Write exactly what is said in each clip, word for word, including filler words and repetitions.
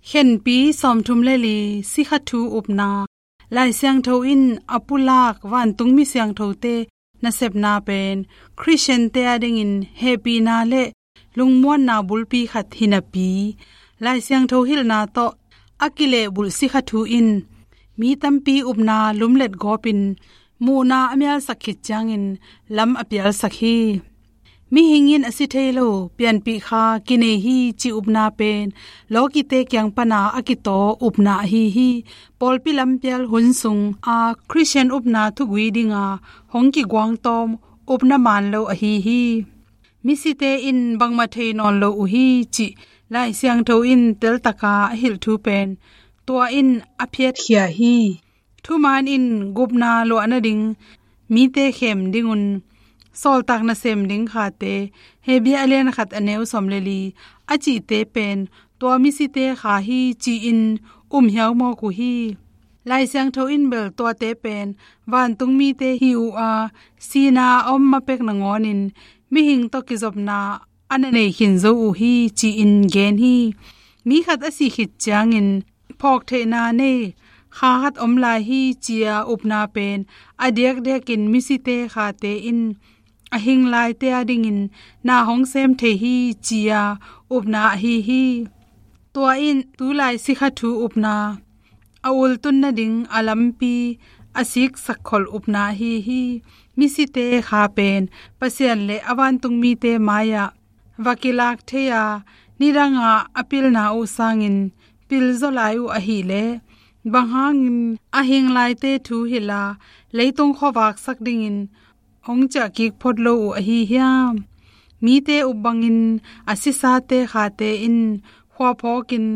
Khenpi sawmthum le li, sikha thu upna. Lai Siangtho in a pulak vantung mi siangthote nasepna pen Khristiante adingin hehpihna le lungmuanna bulpi khat hi napi, Lai Siangtho hilhna tawh a kilehbulh sikha thu in mi tampi upna lumlet gawpin muhna a mialsak khit ciangin lam a pialsak hi. Mihing in a si thei lo, pianpih kha kinei hi cih upna pen lawkite kiang pana a kitaw upna ahi hi. Pawlpi lampial hun sung a Khristian upna thugui dinga hong kiguangtawm upna man lo ahi hi. Misite in bangmah thei nawn lo uh hi cih Lai Siangtho in teltaka a hilh thu pen tua in a phiatkhia hi. Thuman in gupna luah nading, mite khem dingun sawltak nasem ding khate, Hebru a lian khat a neu sawm le li a cihte pen tua misite kha hi ci-in um hiau mawk uh hi. Lai Siangtho in bel tuate pen vantung mite hi uh a, sihna a om ma pek nangawnin mihing tawh kizopna a na nei khin zo uh hi ci-in gen hi. Mi khat a sih khit ciangin phawktheihna nei kha khat om lai hi ci-a upna pen a diakdiakin misite khate in a hing laite adingin na hong sem thei hi ci-a upna ahi hi. Tua in tulai sikha thu upna a ultun nading a lampi a siksak khol upna ahi hi. Misite kha pen Pasian le a vantung mite mai-ah va kilak thei a, nidanga a pilna uh sangin pil zaw lai uh ahih leh, bang hangin a hing laite thu hilh a leitung khuavaksak dingin hong ciah kik phot lo uh ahi hiam? Mite up bangin a sisate khate in khua phawkin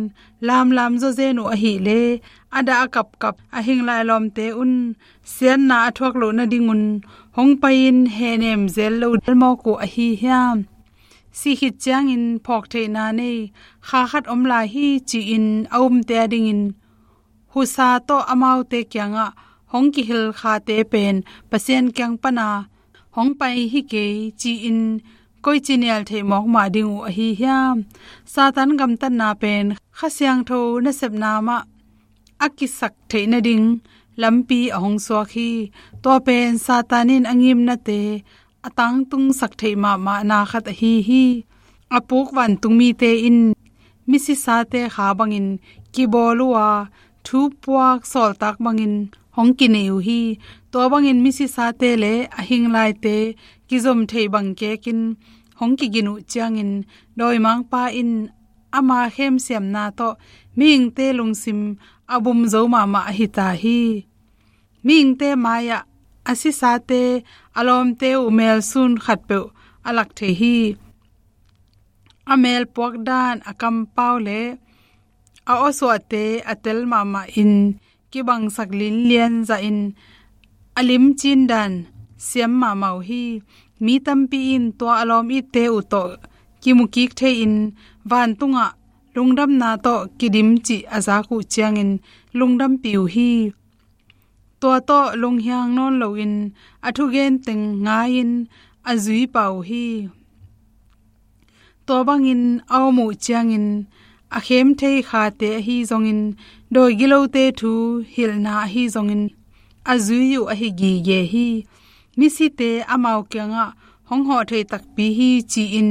lamlam zawzen uh ahih leh, a dah a kapkap a hing lai lawmte un siatna a thuak loh nadingun hong pai-in hehnem zel lo del mawk uh ahi hiam? Sih khit ciangin phawktheihna nei kha khat om lai hi ci-in a umte adingin husa tawh amaute kiangah hong kihil khate pen Pasian kiang pana hong pai hi kei ci-in koici nial theih mawk mah ding uh ahi hiam? Satan gamtatna pen Kha Siangtho nasepna mah a kisak theih nading lampi a hong suak hi. Tua pen Satan in a ngimnate a tangtungsak theih mahmahna khat ahi hi. A puk vantung mite in misisate kha bangin kibawl uh a, thupuak sawltak bangin hong kinei uh hi. Tua bangin misisate le a hing laite kizom theih bang kekin hong kigin uh ciangin dawimangpa in ama khemsiamna tawh mihingte lungsim a bum zo mahmah ahi ta hi. Mihingte mai-ah a sisate a lawmte uh melsun khatpeuh a lak thei hi. A melpuak dan, a kampau le a awsuahte a tel mahmah in kibangsak linlian zahin a limcin dan siam mahmah uh hi. Mi tampi in tua a lawm itte uh tawh kimukik thei-in vantungah lungdamna tawh kidim cih a zak uh ciangin lungdampih uh hi. Tua tawh lunghiang nawn loin a thugen teng ngai-in a zui pah uh hi. Tua bangin a om uh ciangin a khem thei khate ahi zongin, dawi gilote thu hilhna ahi zongin a zui uh ahi gige hi. Misite amau kiangah hong hawh thei takpi hi ci-in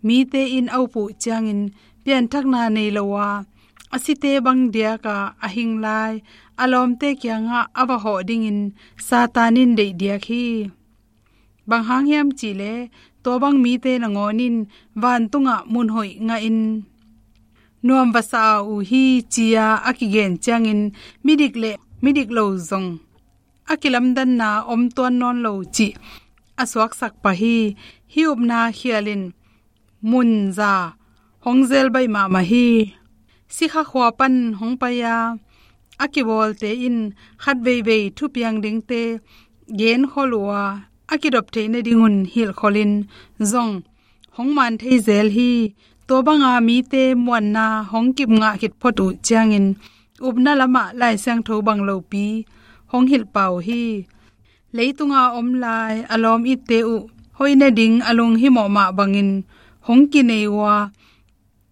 mite in a up uh ciangin pianthakna nei lo a, a site bang diaka a hing lai a lawmte kiangah a va hawh dingin Satan in deih diak hi. Bang hang hiam cihleh, tua bang mite nangawn in vantungah mun hoih ngahin nuam va sa uh hi ci-a a kigen ciangin midik le midik lo zong a kilamdanna om tuan nawn lo cih a suaksak pah hi. Hih upna khialin mun za hong zel baih mahmah hi. Sikha khua pan hong pai-a a kibawlte in khat veivei thupiang dingte genkhol uh a, a kidop theih nadingun hilhkholin zong hong man thei zel hi. Tua banga mite muanna hong kip ngah khit phot uh ciangin upna lamah Lai Siangtho bang lopi hong hilh pah uh hi. Leitunga om lai a lawm itte uh hoih nading a lunghimawh mah bangin hong kinei uh a,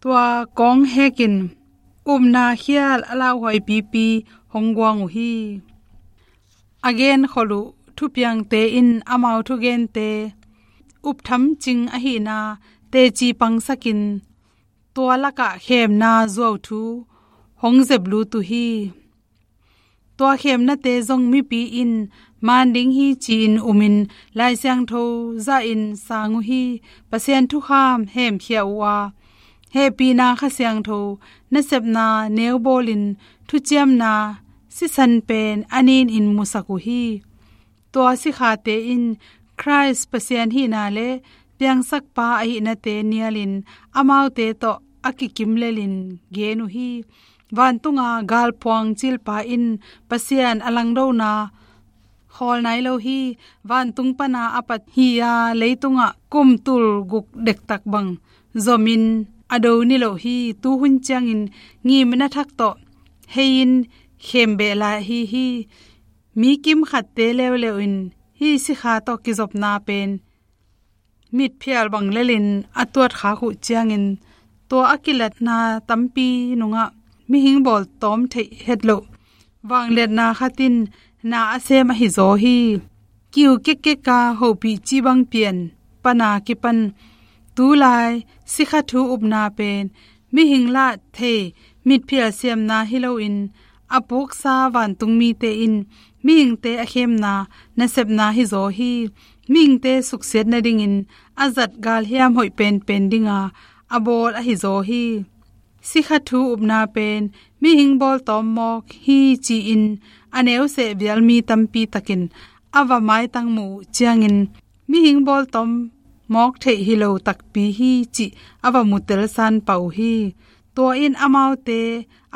tua kawng hekin upna khial a lauhuaipipi hong guang uh hi. A genkholh uh thupiangte in amau thugente uptham cing ahihna teci pangsakin, tua lakah khemna zuauthu hong zeplut uh hi. Tua khemnate zong mipi in man ding hi ci-in umin, Lai Siangtho zahin sang uh hi. Pasian thukham hemkhia uh a, hehpihna Kha Siangtho nasepna neu bawlin thuciamna sisan pen a nin in musak uh hi. Tua sikhate in Khrist Pasian hihna le piangsakpa ahihnate nialin amaute tawh a kikim lelin gen uh hi. Vantunga galphuang cilpa in Pasian a langdona khawl nai lo hi. Vantung pana a pat hi-a leitungah kum tul guk dektak bang zomin a do ni lo hi. Tuhun ciangin ngimna thak tawh hei-in khembeh lai ahi hi. Mi kimkhatte leuleu in hih sikha tawh kizopna pen mitphial bang lelin a tuatkhak uh ciangin, tua a kilatna tampi nungah mihing bawltawm theih hetloh vangliatna khat in na a sem ahi zaw hi. Kiu kekkeka hopih cibang pian pana kipan tulai sikha thu upna pen mihing lah thei mitphial siamna hi loin, a puksa vantung mite in mihingte a khemna nasepna hi zaw hi. Mihingte suksiat nadingin a zat galhiam hoih penpen dinga a bawl ahi zaw hi. Sikha thu upna pen mihing bawltawm mawk hi ci-in a neuseh vial mi tampi takin a va maitang muh uh ciangin, mihing bawltawm mawk theih hi lo takpi hi cih a va mutelsan pah uh hi. Tua in amaute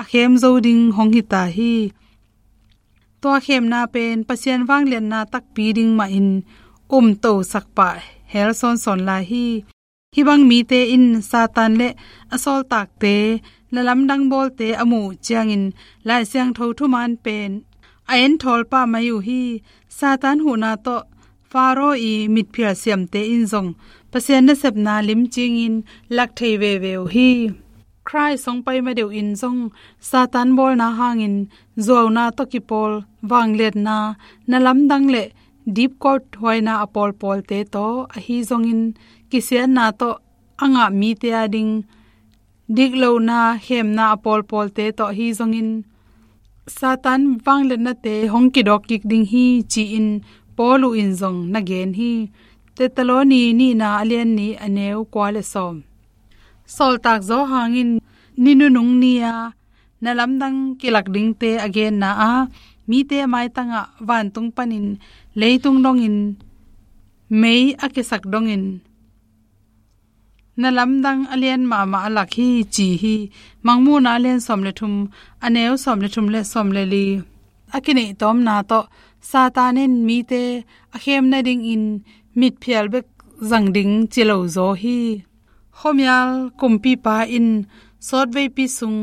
a khem zo ding hong hita hi. Tua khemna pen Pasian vangliatna takpi ding mahin umtosak pah hel sawnsawn lai hi. Hih bang mite in Satan le a sawltakte na lamdang bawlte a muh uh ciangin Lai Siangtho thuman pen a enthawl pah mai uh hi. Satan huhna tawh Pharaoh i mitphial siamte in zong Pasian nasepna limcingin lak thei veve uh hi. Khrist hong pai ma deuh in zong Satan bawlna hangin zuauna tawh kipawl vangliatna na lamdang le dipkot huaina a pawlpawlte tawh ahi zongin, kisiatna tawh a ngah mite a ding diklohna khemna a pawlpawlte tawh ahi zongin, Satan vangliatnate hong kidawk kik ding hi ci-in Paul uh in zong na gen hi. Thesaloni nihna a lian nih a neu kua le sawm. Sawltak Johan in ni nunung ni-a na lamdang kilak dingte a genna ah, mite maitangah vantung panin leitung dongin mei a kisak dongin na lamdang a lian mahmah a lak hi ci hi. Mangmuhna a lian sawm le thum, a neu sawm le thum le sawm le li. A kineih tawmna tawh Satan in mite a khem nadingin mitphial bek zang ding ci lo zaw hi. Khuamial kumpipa in sawtveipi sung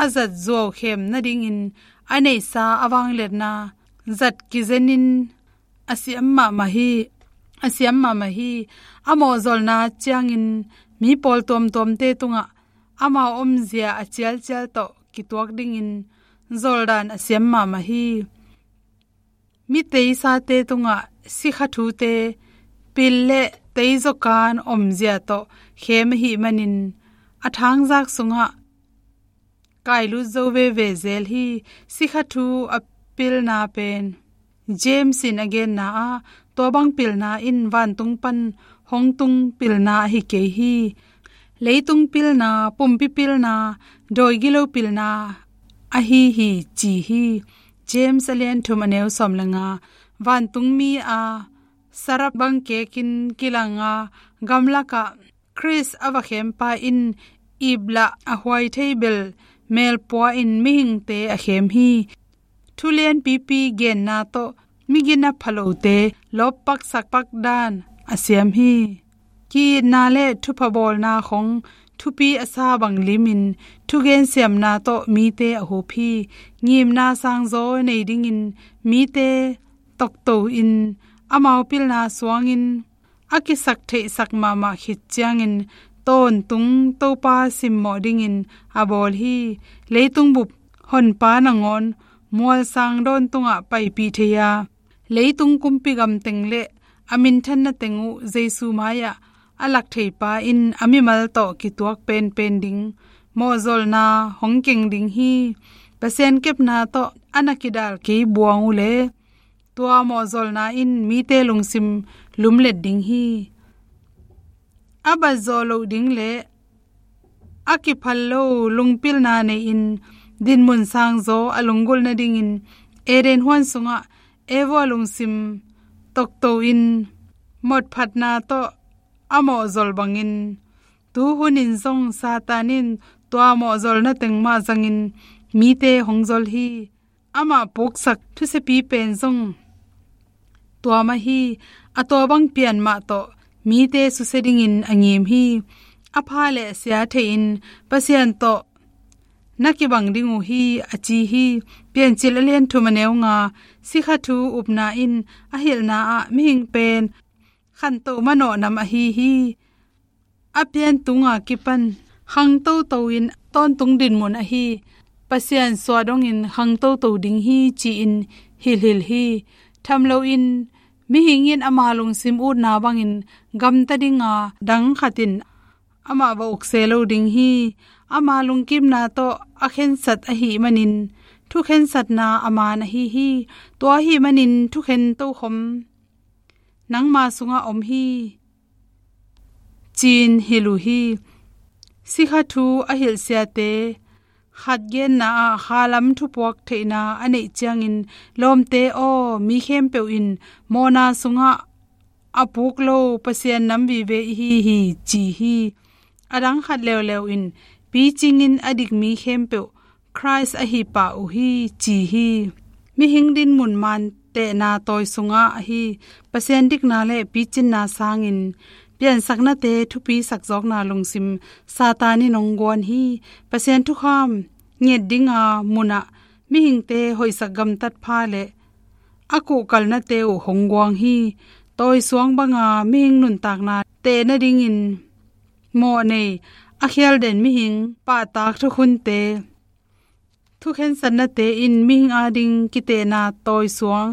a zat zuau khem nadingin a neihsa a vangliatna zat kizenin a siam mahmah hi. A siam mahmah hi. A mawhzolna ciangin mi pawl tuamtuamte tungah amau omzia a cialcial tawh kituak dingin zoldan a siam mahmah hi. Mi teisate tungah sikha thute pil le teizaw kan omzia tawh khem ahih manin a thangzak sungah kailut zo veve zel hi. Sikha thu a pilna pen James in a genna ah, tua bang pilna in vantung pan hong tung pilna ahi kei hi. Leitung pilna, pumpi pilna, dawi gilo pilna ahi hi ci hi. James a lian thum a neu sawm le nga. Vantungmi a sarap bang kekin kilanga gamlakah Khrist a va khempa in iplah a huai thei bel melpua in mihingte a khem hi. Thu lianpipi genna tawh migina phalote lawppak sakpak dan a siam hi. Ki-itna le thupha bawlna khong thupi a sa bang limin thugen siamna tawh mite a hup hi. Ngimna sangzaw nei dingin mite tokto in amau pilna suangin a kisak theihsak mahmah khit ciangin tawntung Topa simmawh dingin a bawl hi. Leitung bup Honpa nangawn mualsang dawn tungah paipih thei a, leitung kumpi gamteng le a minthanna teng uh Jesu mai-ah a lak theipa in a mimal tawh kituak penpen ding mawhzolna hong keng ding hi. Pasian kepna tawh a na kidal kei buang uh le tua mawhzolna in mite lungsim lumlet ding hi. A bat zawh loh ding le a kiphal lo lungpilna nei-in dinmun sangzaw a lunggulh nadingin Eden huan sungah Eva lungsim tokto in mawhphatna tawh a mawhzol bangin, tu hunin zong Satan in tua mawhzolna teng mah zangin mite hong zol hi. Amah puksak thusiapi pen zong tua mah hi. A tua bang pian mah tawh mite susia dingin a ngim hi. A pha le a sia thei-in Pasian tawh na kibang ding uh hi, a ci hi. Piancil a lian thum a neu nga. Sikha thu upna in a hilhna ah mihing pen khantoh manawh nam ahi hi. A pian tunga kipan khangtoto in tawntung dinmun ahi, Pasian suah dongin khangtoto ding hi ci-in hilhhilh hi. Tham loin mihing in ama lungsim utna bangin gamta dinga dang khat in amah va ukse lo ding hi. Ama lungkimna tawh a khensat ahih manin thukhensatna a man ahi hi. Tua ahih manin thukhen tokhom nangma sungah om hi, ci-in hilh uh hi. Sikha thu a hilh siate khat genna ah khalam thupuak theihna a neih ciangin, lawmte aw, mi khempeuh in mawhna sungah a puk lo Pasian nam vive ihi hi, ci hi. A dang khat leuleu in picingin a dik mi khempeuh Khrist ahi pah uh hi, ci hi. Mihing dinmun man tehna tawi sungah ahi Pasian dikna le picinna sangin piansaknate thupisak zawkna lungsim Satan in hong guan hi. Pasian thukham nget dinga munah mihingte hoihsak gamtat pha le a kuhkalnate uh hong guang hi. Tawi suang banga mihing nuntakna teh nadingin mawh nei a khialden mihing pahtak thukhunte, thukhensatnate in mihing ading kitehna tawi suang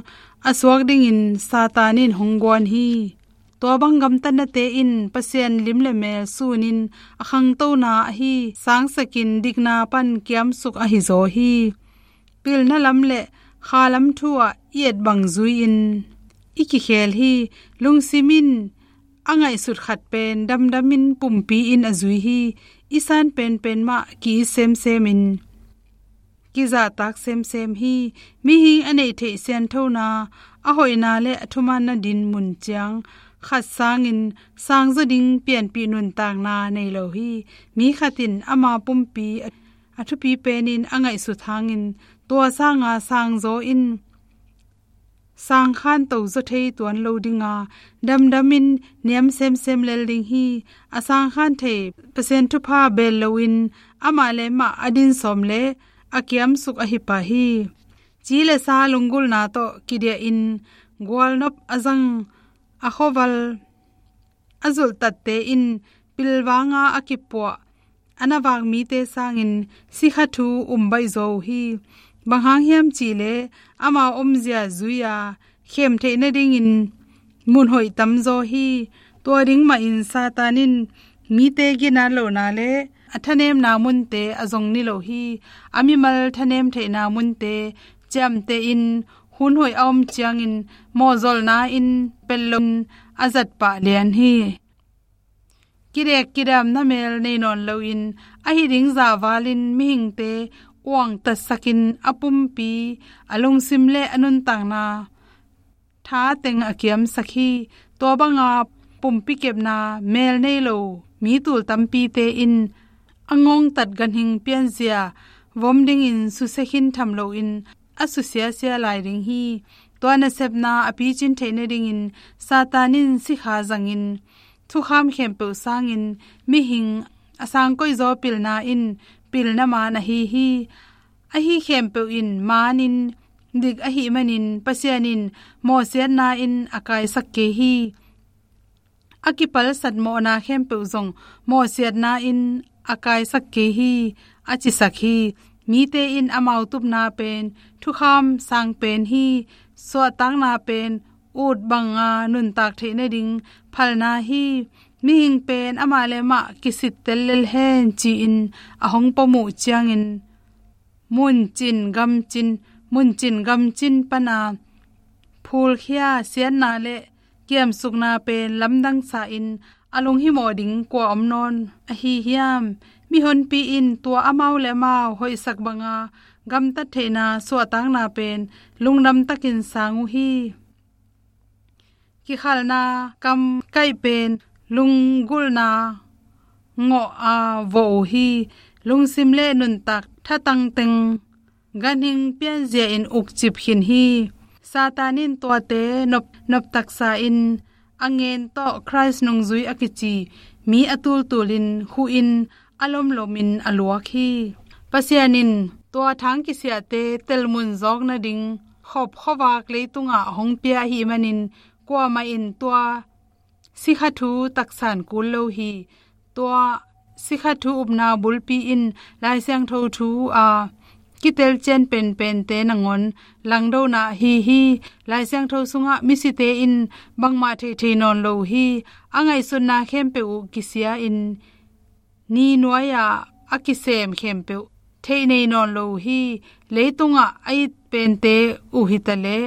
a suak dingin Satan in hong guan hi. Tua bang gamtatnate in Pasian lim le mel sunin a khangtona ahi sangsakin dikna pan kiamsuk ahi zaw hi. Pilna lam le khalam thu ah i et bang zui-in i kikhel hi. Lungsim in a ngaihsut khat pen damdamin pumpi in a zui hi. I san penpen mah ki-it semsemin kizahtak semsem hi. Mihing a neih theih sianthona, a hoihna le a thumaanna dinmun ciang khat sangin sangzaw ding pianpih nuntakna nei lo hi. Mi khat in ama pumpi a thupi penin a ngaihsut hangin tua sanga sangzaw in sangkhan tozaw thei tuan lo dinga damdamin niam semsem lel ding hi. A sangkhan thei Pasian thupha bel loin amah le mah a din sawm le a kiamsuk ahi pah hi. Ci le sa lunggulhna tawh kidiahin gualnop a zang a khuaval a zulhtatte in pilvanga a kipuah a na vak mite sangin sikha thu um baihzaw uh hi. Bang hang hiam cihleh amau omzia zui-a khem theih nadingin mun hoih tamzaw hi. Tua ding mahin Satan in mite ginat lohna le a thanemna munte a zong ni lo hi. A mimal thanem theihna munte ciamtehin hun hoih a om ciangin mawhzolna in pelh loin a zat pah lian hi. Kidek kidamna mel nei nawn loin ahi ding zahvalin mihingte uangtatsakin a pumpi, a lungsim le a nuntakna tha teng a kiamsak hi. Tua banga pumpi kepna mel nei lo mi tul tampite in a ngongtat ganhing pianzia vom dingin susia khin tham loin a susiasia lai ding hi. Tua nasepna a picin theih nadingin Satan in sikha zangin thukham khempeuh sangin mihing a sangkoihzaw pilna in pilna maan ahi hi. Ahi khempeuh in maanin dik ahih manin Pasian in mawhsiatna in a kaisak kei hi. a kipalsat mawhna khempeuh zong mawhsiatna in a kaisak kei hi, a cisak hi. Mite in amau tupna pen thukham sang pen hi, suahtakna pen ut banga nuntak theih nading phalna hi. Mihing pen amah le amah kisittel lel hen ci-in a hong pom uh ciangin, muncin gamcin, muncin gamcin pana phulkhia siatna le kiamsukna pen lamdang sa-in a lunghimawh ding kua om nawn ahi hiam? Mihonpi in tua amau le amau hoihsak banga gamtat theihna suahtakna pen lungdam takin sang uh hi. Kikhalna kamkaih pen lunggulhna ngawh a vawh uh hi. Lungsim le nuntak thatang teng ganhing pianzia in ukcip khin hi. Satan in tuate nop, noptaksa in a ngen tawh Khrist nungzui a kici mi a tultulin khuhin a lomlomin a luak hi. Pasian in tua thang kisiahte telmun zawk nading khop khuavak leitungah hong pia ahih manin kuamah in tua sikha thu taksan kul lo hi. Tua sikha thu upna bulpi in Lai Siangtho thu a kitelcian penpente nangawn langdona ahi hi. Lai Siangtho sungah misite in bangmah theithei nawn lo uh hi. A ngaihsutna khempeuh uh kisia-in ni nuai-ah a kisem khempeuh theih nei nawn lo uh hi. Leitungah a it pente uh hitaleh,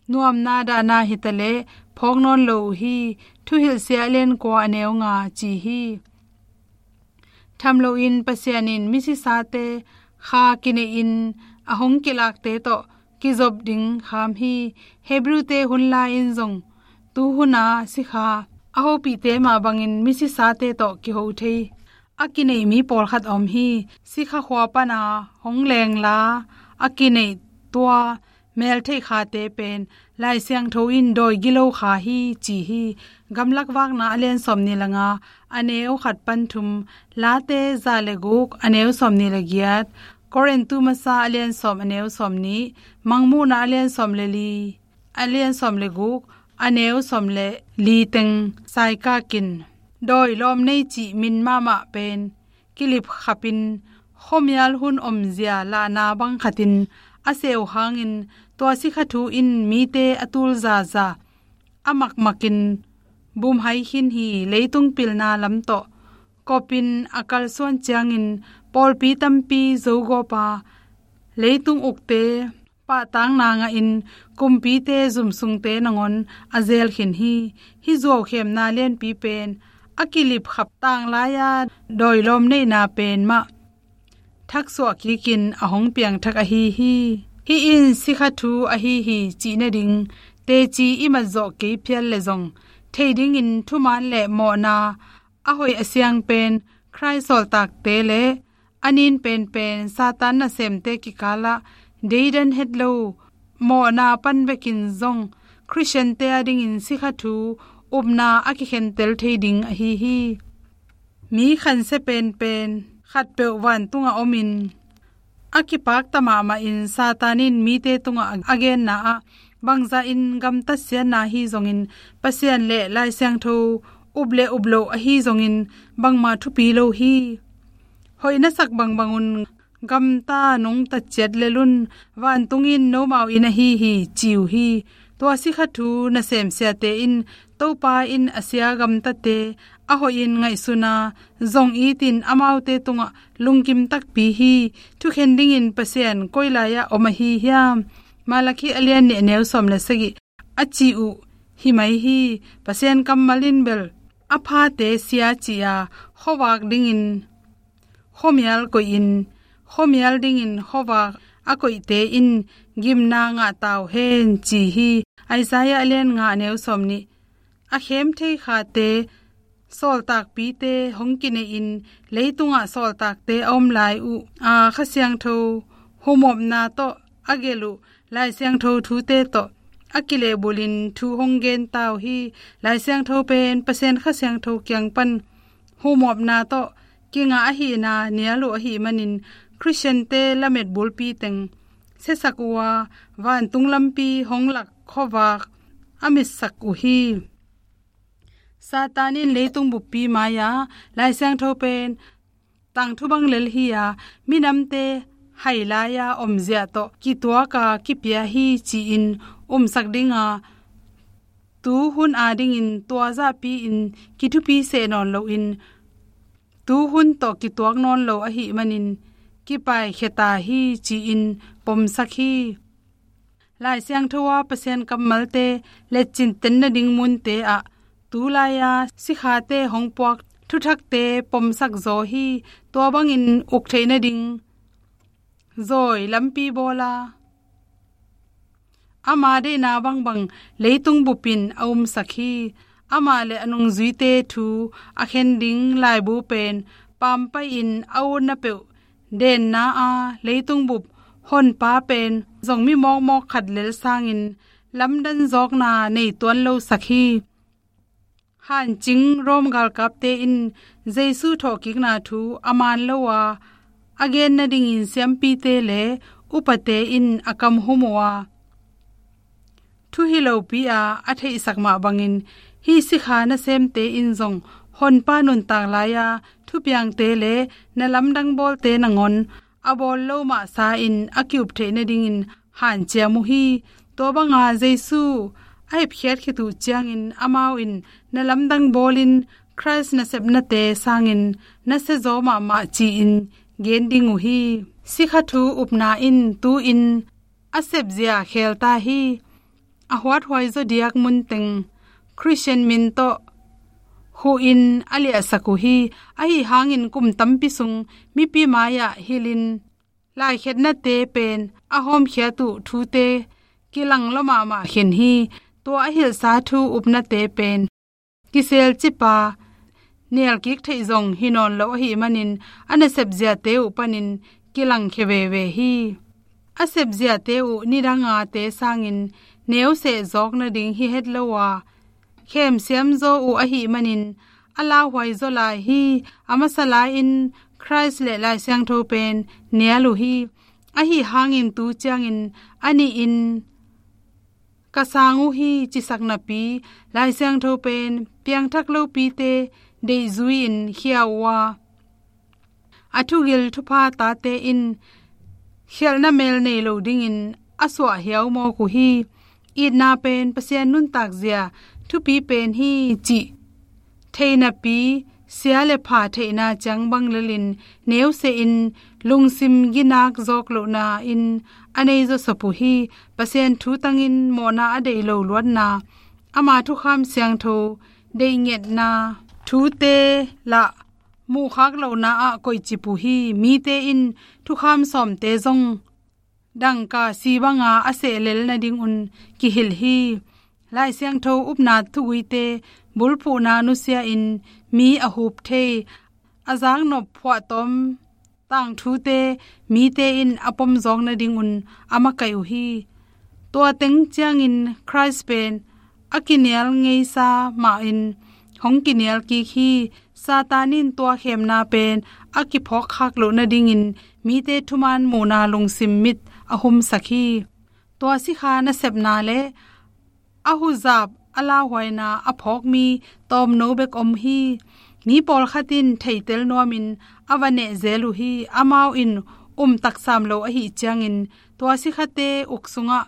nuamna dahna hitaleh phawk nawn lo uh hi. Thuhilhsia a lian kua a neu nga ci hi. Tham loin Pasian in misisate kha kineihin a hong kilakte tawh kizop ding kham hi. Hebrewte hun lai-in zong tu huna sikha a hopihte mah bangin misisate tawh kiho thei a kineih mi pawlkhat a om hi. Sikha khua pana hong lengla a kineih tua meltheih khate pen Lai Siangtho in dawi gilo kha hi ci hi. Gamlak Vakna a lian sawmnih le nga, a neu khat pan thum, Late za le guk, a neu sawmnih le giat, Korintu Masa a lian sawm, a neu sawmnih, Mangmuhna a lian sawm le li, a lian sawm le guk, a neu sawm le li teng saikakin, dawi lawm nei cih min mahmah pen kilipkhapin khuamial hun omzia lahna bang khatin a seh uh hangin tua sikha thu in mite a tul zaza a makmakin bumhai khin hi. Leitung pilna lam tawh kopin a kalsuan ciangin pawlpi tampi zogawpa leitung ukte pahtakna ngahin kumpite zumsungte nangawn a zel khin hi. Hih zuaukhemna lianpi pen a kilipkhap tanglai-a dawi lawm neihna pen mah thaksuah kikin a hong piangthak ahi hi. Hih in sikha thu ahi hi cih nading teci i matzawh kei phial le zong thei dingin thuman le mawhna a hoih a siang pen Khrist sawltakte le a nin penpen Satan nasemte kikalah deidan het lo mawhna pan bekin zong Khristiante adingin sikha thu upna a kikhentel thei ding ahi hi. Mi khansia penpen khatpeuh vantungah omin a kipakta mahmahin Satan in mite tungah a genna ah bangzahin gamtat siatna ahi zongin Pasian le Lai Siangtho up le up loh ahi zongin bangmah thupi lo hi. Hoih na sak bangbangun gamta nong tatciat lel un, vantung in nomau in ahi hi ci uh hi. Tua sikha thu nasemsiate in Topa in a sia gamtate a hoihin ngaihsuna zong itin amaute tungah lungkim takpi hi. Thukhen dingin Pasian koi lai-ah om ahi hiam? Malakhi a lian nih a neu sawm le sagih a ci uh hi mai hi. Pasian kammal in bel a phate sia ci-a khuavak dingin khuamial koihin, khuamial dingin khuavak a koihte in gimna ngah ta uh hen ci hi. Isaiah a lian nga a neu sawm nih, a khem thei khate sawltakpite hong kineihin leitungah sawltakte a om lai uh a Kha Siangtho humopna tawh a gelh uh Lai Siangtho thute tawh a kilehbulhin thu hong gen ta uh hi. Lai Siangtho pen Pasian Kha Siangtho kiang pan humopna tawh kingah ahihna nial uh ahih manin Khristiante lamet bulpi teng siasak uh a, vantung lampi hong lak khuavak a mitsak uh hi. Satan in leitung buppi mai-a Lai Siangtho pen tangthu bang lel hi-a, minamte hai lai-a omzia tawh kituak a kipia hi ci-in umsak dinga, tu hun adingin tua zahpi-in kithupi seh nawn loin, tu hun tawh kituak nawn lo ahih manin kipaikhiata hi ci-in pomsak hi. Lai Siangtho a Pasian kammalte letcin ten nading munte ah tu lai-a sikhate hong puak thuthakte pomsak zaw hi. Tua bangin uk theih nading zawi lampi bawla, ama deihna bangbang leitung bupin a umsak hi. Amah le a nungzuite thu a khen ding laibu pen pampai-in a utna peuh denna a, leitung bup honpa pen zong mi mawkmawk khat lel sangin lamdang zawkna nei tuan losak hi. Hancing Rom galkapte in Jesu thawhkikna thu a man lo a, a gen nadingin siampite le upate in a kam hum uh a, thu hi lopi-a a theihsak mah bangin, hih sikha nasemte in zong honpa nuntak lai-a thupiangte le na lamdang bawlte nangawn a bawl lo mahsa-in a ki-up theih nadingin hanciam uh hi. Tua banga Jesu a hepkhiat khit uh ciangin amau in na lamdang bawlin Khrist nasepnate sangin na siazaw mahmah ci-in gen ding uh hi. Sikha thu upna in tu-in a sepzia khelta hi. A huathuai zaw diak munteng Khristian min tawh huhin a liahsak uh hi. Ahi hangin kum tampi sung mipi mai-ah hilhin laikhetnate pen a hawmkhiat uh thute kilang lua mahmah khin hi. Tua a hilhsa thu upnate pen kiselcip a, nialkik theih zong hi nawn lo ahih manin a nasepziate uh panin kilangkhia veve hi. A sepziate uh nidang ate sangin neu seh zawk nading hi het lo a, khemsiam zaw uh ahih manin a lauhuai zaw lai hi. A masa lai-in Khrist le Lai Siangtho pen nial uh hi. Ahi hangin tu ciangin a nihin ka sang uh hi cisak napi, Lai Siangtho pen piangthak lopite deihzui-in khia uh a, a thugil thupha tate in khialhna mel nei lo dingin a suah hiau mawk uh hi. Itna pen Pasian nuntakzia thupi pen hi cih thei napi, sia le pha theihna ciang bang lelin neusehin lungsim ginak zawk lohna in a nei zawsop uh hi. Pasian thu tangin mawhna a deih lo luatna, ama thukham siangtho deih ngetna thute lah muhkhak lohna ah koihcip uh hi. Mite in thukham sawmte zong dangka si banga a sehlel nadingun kihilh hi. Lai Siangtho upna thuguite bulphuhna nusia-in mi a hup thei, a zaknop phuahtawm tangthute mite in a pomzawk nadingun a makaih uh hi. Tua teng ciangin Khrist pen a kinial ngeisa mahin hong kinial kik hi. Satan in tua khemna pen a kiphawkkhak loh nadingin mite thuman muhna lungsim mit a humsak hi. Tua sikha nasepna le a huzap a lauhuaina a phawk mi tawmno bek om hi. Mi pawlkhat in theitel nuamin a va nehzel uh hi. Amau in um taksam lo ahih ciangin tua sikhate uk sungah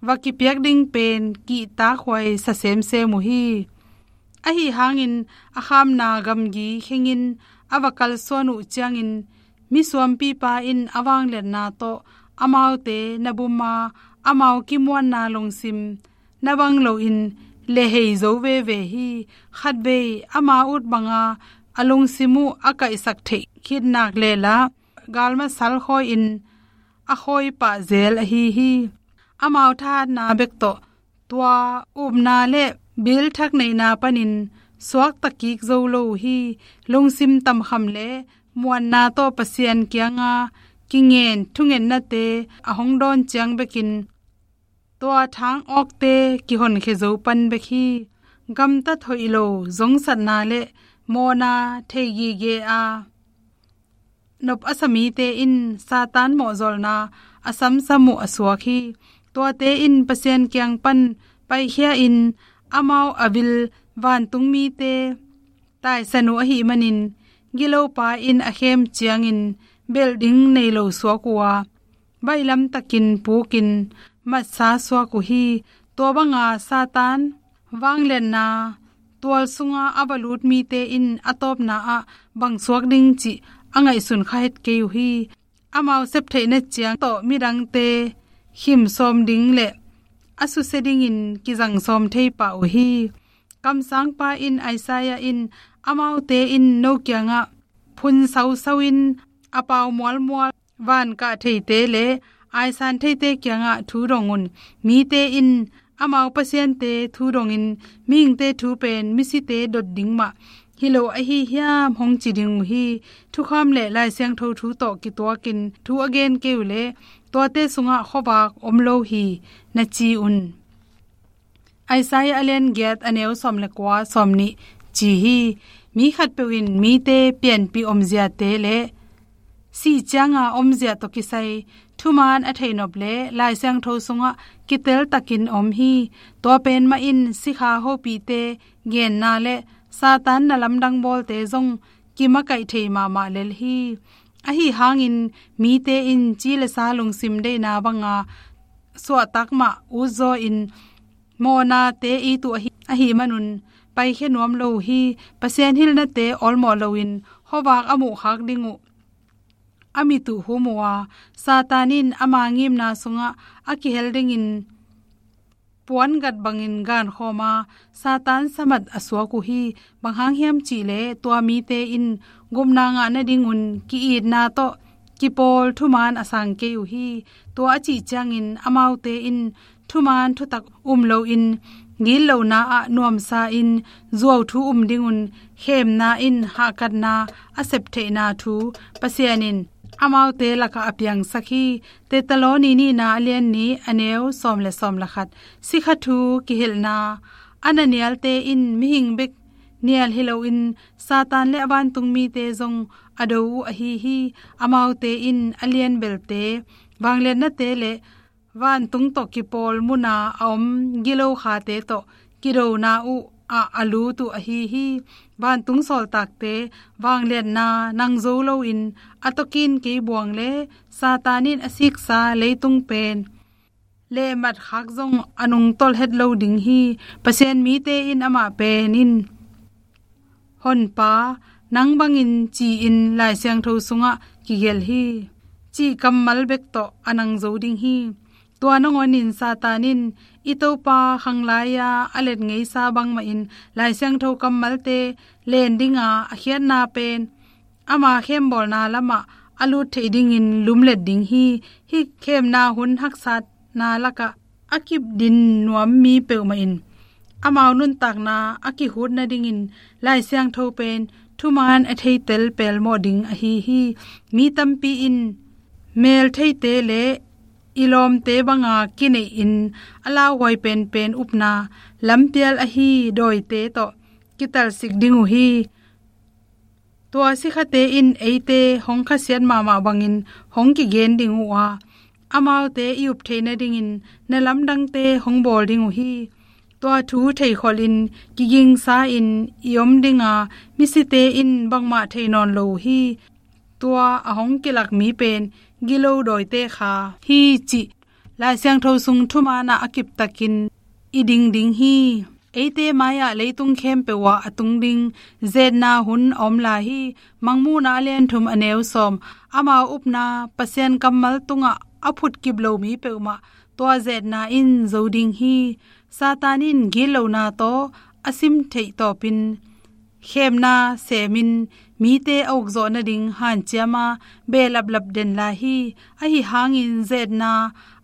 va kipiak ding pen kihtakhuai sa semsem uh hi. Ahi hangin a khamna gamgi khengin a va kalsuan uh ciangin misuampipa in a vangliatna tawh amaute na buma amau kimuanna lungsim na bang loin lehhei zo veve hi. Khatvei ama ut banga a lungsim uh a kaihsak theih khit nak lehla galmasal khawi-in a khawi pah zel ahi hi. Amau thahatna bek tawh tua upna le bil thak neihna panin suakta kik zo lo uh hi. Lungsim tamkham le muanna tawh Pasian kianga kingen thungennate a hong dawn ciang bekin tua thang awkte kihonkhia zo pan bek hi. Gamtat hoih lo zongsatna le mawhna thei gige a nop a sa mite in Satan mawhzawlna a samsam uh a suak hi. Tuate in Pasian kiang pan paikhia-in amau a vil vantung mite taisan uh ahih manin, gilopa in a khem ciangin belh ding nei lo suak uh a, baihlam takin pukin matsa suak uh hi. Tua banga Satan vangliatna tual sunga a va lut mite in a tawpna ah bang suak ding cih a ngaihsun kha het kei uh hi. Amau septheihna ciang tawh midangte khim sawm ding le a susia dingin kizang sawm thei pah uh hi. Kamsangpa in Isaiah in amaute in no kiangah phun sausau in a pau mualmual van kah theite le aisan theite kiangah thu dong un. Mite in amau pasiante thu dongin mihingte thu pen misite dot ding mah hi lo ahi hiam hong ci ding uh hi. Thukham le Lai Siangtho thu tawh kituakin thu a gen kei uh le tuate sungah khuavak om lo hi na ci un. Isaiah a lian giat a neu sawm le kua, sawm nih ci hi. Mi khatpeuh in mite pianpih omziate le sih cianga omzia tawh kisai thuman a theihnop le Lai Siangtho sungah kiteltakin om hi. Tua pen mah in sikha hopihte genna le Satan na lamdang bawlte zong kimakaih thei mahmah lel hi. Ahi hangin mite in ci le sa lungsim deihna banga suahtak mah utzaw in mawhnate it uh ahi, ahi manun paikhia nuam lo uh hi. Pasian hilhnate awlmawh loin khuavak a muhkhak ding uh a mit uh hum uh a, Satan in ama ngimna sungah a kihel dingin puangat bangin gankhawm a, Satan samat a suak uh hi. Bang hang hiam cihleh tua mite in gupna ngah nadingun ki-itna tawh kipawl thuman a sang kei uh hi. Tua a cih ciangin amaute in thuman thutak um loin gitlohna ah nuamsa in zuauthu um dingun khemna in hahkatna a septheihna thu Pasian in amaute lakah a piangsak hi. Thesalonika nihna a lian nih a neu sawm le sawm le khat. Sikha thu kihilhna a na nialte in mihing bek nial hi loin Satan le a vantung mite zong a do uh ahi hi. Amaute in a lianbelte, vangliatnate le vantung tawh kipawl muna a om gilo khate tawh kidona uh ah a lut uh ahi hi. Vantung sawltakte vangliatna nang zo loin a tokin kei buang le Satan in a siksa leitung pen lehmat khak zong a nungtolh het lo ding hi. Pasian mite in amah pen in Honpa, nang bangin ci-in Lai Siangtho sungah kigelh hi, cih kammal bek tawh a nang zo ding hi. Tua nangawnin Satan in i Topa khanglai-a a let ngeisa bangmahin Lai Siangtho kammalte len dinga a khiatna pen ama khembawlna lamah a lut theih dingin lumlet ding hi. Hih khemna hun haksatna lakah a kipdin nuam mi peuhmah in amau nuntakna a kikhut nadingin Lai Siangtho pen thuman a theitel pelmawh ding ahi hi. Mi tampi in meltheite le i lawmte banga kineihin a lauhuai penpen upna lampial ahi dawite tawh kitalsik ding uh hi. Tua sikhate in eite hong khasiat mahmah bangin hong kigen ding uh a, amaute i up theih nadingin na lamdangte hong bawl ding uh hi. Tua thu theikholhin kigingsa-in i om dinga, misite in bangmah thei nawn lo uh hi. Tua a hong kilak mi pen gilo dawite kha hi cih Lai Siangtho sung thumanah a kiptakin i ding ding hi. Eite mai-ah leitung khempeuh ah a tung ding zetna hun a om lai hi. Mangmuhna a lian thum a neu sawm. Amau upna Pasian kammal tungah a phutkip lo mi peuhmah tua zetna in zo ding hi. Satan in gitlohna tawh a sim theih tawpin khemna semin mite a ukzawh nading hanciama behlaplap den lai hi. Ahi hangin zetna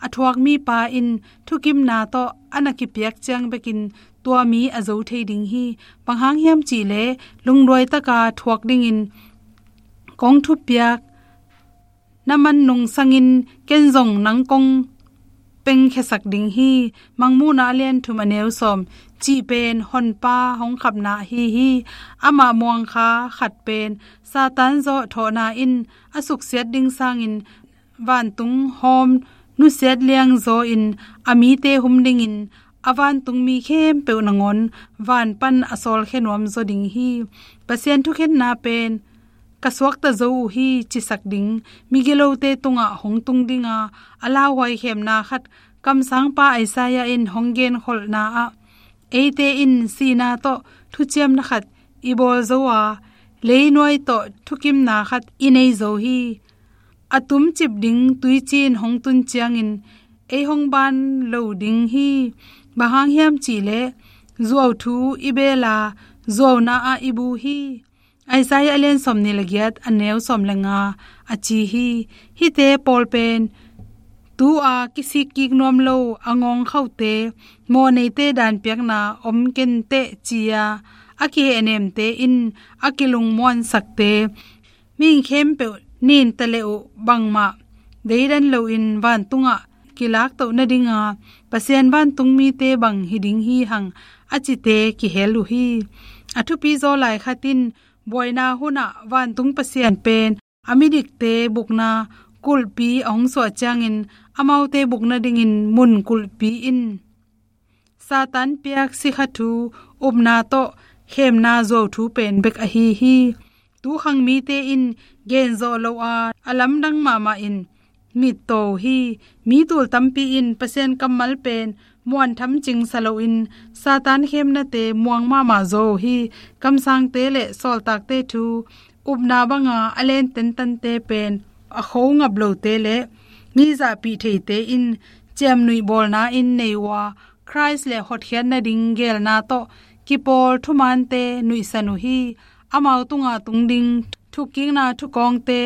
a thuak mipa in thukimna tawh a na kipiak ciang bekin tua mi a zo thei ding hi. Bang hang hiam cihleh lungduai taka thuak dingin kong thupiak na man nungsangin ken zong nang kong pengkhiasak ding hi. Mangmuhna a lian thum a neu sawm. Cih pen Honpa hong khapna ahi hi. Amah muangkha khat pen Satan zawh thawhna in a suksiat ding sangin vantung hawm nusiat liangzaw in a mite hum dingin a vantungmi khempeuh nangawn van pan a sawlkhia nuam zaw ding hi. Pasian thukhenna pen ka suakta zo uh hi, cisak ding migilote tungah hong tung ding a, a lauhuai khemna khat kamsangpa Isaiah in hong genkholhna ah, eite in sihna tawh thuciamna khat i bawl zo a, leinuai tawh thukimna khat i nei zo hi. A tumcip ding tuiciin hong tun ciangin ei hong ban lo ding hi. Bang hang hiam cihleh, zuau thu i beel a, zuauna ah i bu hi. Isaiah a lian sawmnih le giat, a neu sawm le nga a ci hi. Hihte pawl pen tu-a kisik kik nuam lo, a ngawngkhaute, mawhneite danpiakna om kenteh ci-a a kihehnemte in a kilungmuansakte, mihing khempeuh nin ta leh uh bangmah deidan loin vantungah kilaktoh nadinga, Pasian vantungmite bang hi ding hi hang, a cite kihel uh hi. A thupi zaw lai khat in, buaina hunah vantung Pasian pen a midikte bukna kulhpi a hong suah ciangin, amaute buk nadingin mun kulhpi in Satan piak sikha thu, upna tawh khemna zuau thu pen bek ahi hi. Tukhang mite in genzawh lo a, a lamdang mahmah in mittaw uh hi. Mi tul tampi in Pasian kammal pen muantham cingsa loin Satan khemnate muang mahmah zaw uh hi. Kamsangte le sawltakte thu, upna banga a len tentante pen a kho ngap lote le mi zahpih theite in ciamnuih bawlna in nei uh a, Khrist le hotkhiat nading geelna tawh kipawl thumaante nuihsan uh hi. Amau tunga tung ding thukkikna thukawngte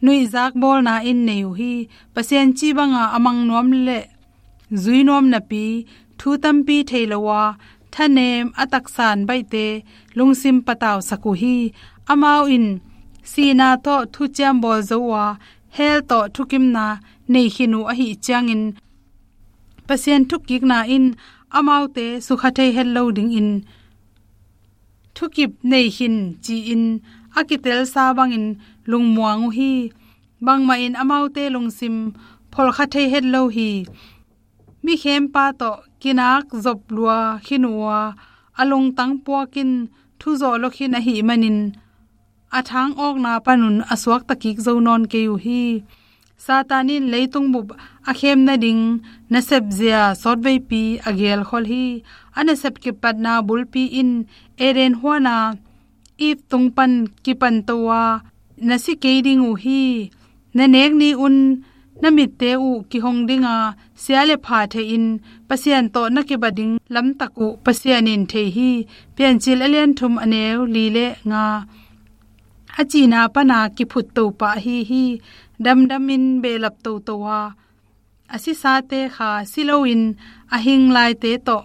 nuihzak bawlna in nei uh hi. Pasian cih banga a mang nuam le zui nuam napi, thu tampi thei lo a, thanem a taksan baihte lungsim patausak uh hi. Amau in sihna tawh thuciam bawl zo uh a, hell tawh thukimna nei khin uh ahih ciangin, Pasian thukkikna in amaute sukha thei het lo dingin thukip nei khin ci-in a kitelsa bangin lungmuang uh hi. Bangmah in amaute lungsim pholkha thei het lo hi. Mi khempa tawh kinak zop lua khin uh a, a lungtang puakin thuzawh lua khin ahih manin a thang awkna panun a suakta kik zo nawn kei uh hi. Satan in leitung bup a khem nading nasep zia sawtveipi a gelkhol hi. A nasep kipatna bulpi in Eden huana Eve tung pan kipanto a, na si kei ding uh hi. Na nek ni-un na mitte uh kihong dinga, sia le pha theihin Pasian tawh na kibat ding lamtak uh Pasian in thei hi. Piancil a lian thum, a neu li le nga. A cihna pana kiphut to pah ahi hi. Damdamin behlap toto a, a sisate kha si loin a hing laite tawh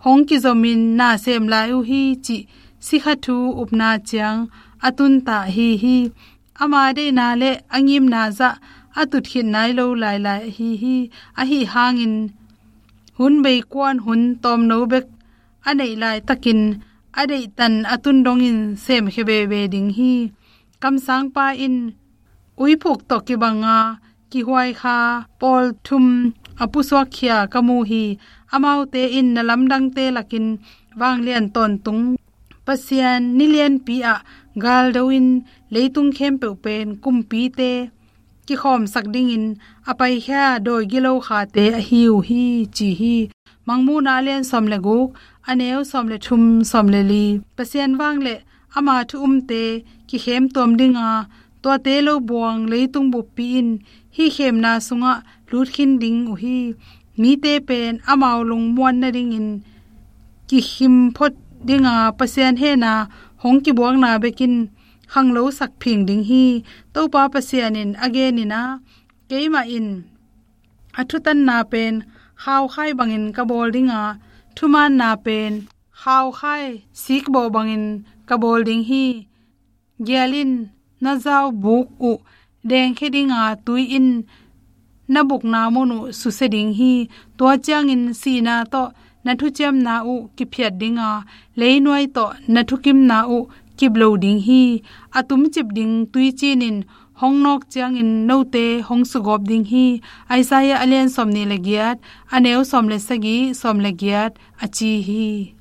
hong kizomin na sem lai uh hi, cih sikha thu upna ciang a tunta ahi hi. Ama deihna le a ngimna zah a tut khit nai lo lailai ahi hi. Ahi hangin hun beikuan hun tawmno bek a neih laitakin a deihtan a tun dongin semkhia veve ding hi. Kamsangpa in uiphuk tawh kibanga kihuai kha pawl thum a pusuakkhia ka mu hi. Amaute in na lamdangte lakin vanglian tawntung Pasian nilianpi ah galdo in leitung khempeuh pen kumpite kikhawmsak dingin a paikhia dawi gilo khate ahi uh hi, ci hi. Mangmuhna a lian sawm le guk, a neu sawm le thum, sawm le li. Pasian vang le ama thu umte kikhem tuam dinga, tuate lo buang leitung buppi in hih khemna sungah lut khin ding uh hi. Mite pen amau lungmuan nadingin kikhim phot dinga Pasian hehna hong kibuakna bekin khanglosak phing ding hi. Topa Pasian in a genin ah, keimah in a thutanna pen khaukhai bangin ka bawl dinga, thumaanna pen khaukhai sikbaw bangin ka bawl ding hi. Gial in, na zau buk uh dengkhia dinga, tui in na bukna mun uh susia ding hi. Tua ciangin sihna tawh na thuciamna uh kiphiat dinga, leinuai tawh na thukimna uh kip lo ding hi. A tumcip ding tuicin in hong nawk ciangin note hong sugawp ding hi. Isaiah a lian sawmnih le giat, a neu sawm le sagih, sawm le giat a ci hi.